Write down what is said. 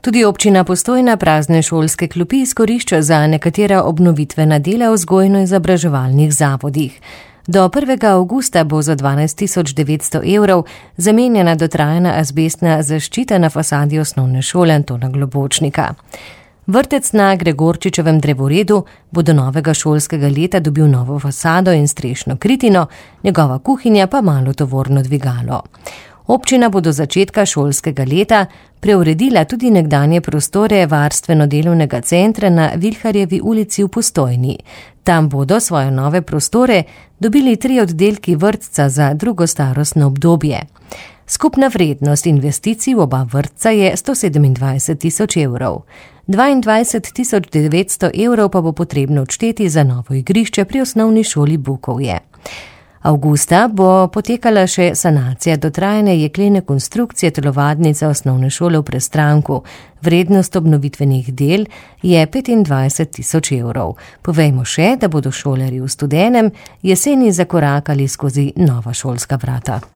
Tudi občina Postojna prazne šolske klopi izkorišča za nekatera obnovitvena dela v vzgojno-izobraževalnih zavodih. Do 1. avgusta bo za 12.900 evrov zamenjana dotrajana azbestna zaščita na fasadi osnovne šole Antona Globočnika. Vrtec na Gregorčičevem drevoredu bo do novega šolskega leta dobil novo fasado in strešno kritino, njegova kuhinja pa malo tovorno dvigalo. Občina bo do začetka šolskega leta preuredila tudi nekdanje prostore varstveno-delovnega centra na Vilharjevi ulici v Postojni. Tam bodo svoje nove prostore dobili 3 oddelki vrtca za drugo starostno obdobje. Skupna vrednost investicij v oba vrtca je 127.000 evrov. 22.900 evrov pa bo potrebno odšteti za novo igrišče pri osnovni šoli Bukovje. Avgusta bo potekala še sanacija dotrajane jeklene konstrukcije telovadnice osnovne šole v Prestranku. Vrednost obnovitvenih del je 25.000 evrov. Povejmo še, da bodo šolarji v Studenem jeseni zakorakali skozi nova šolska vrata.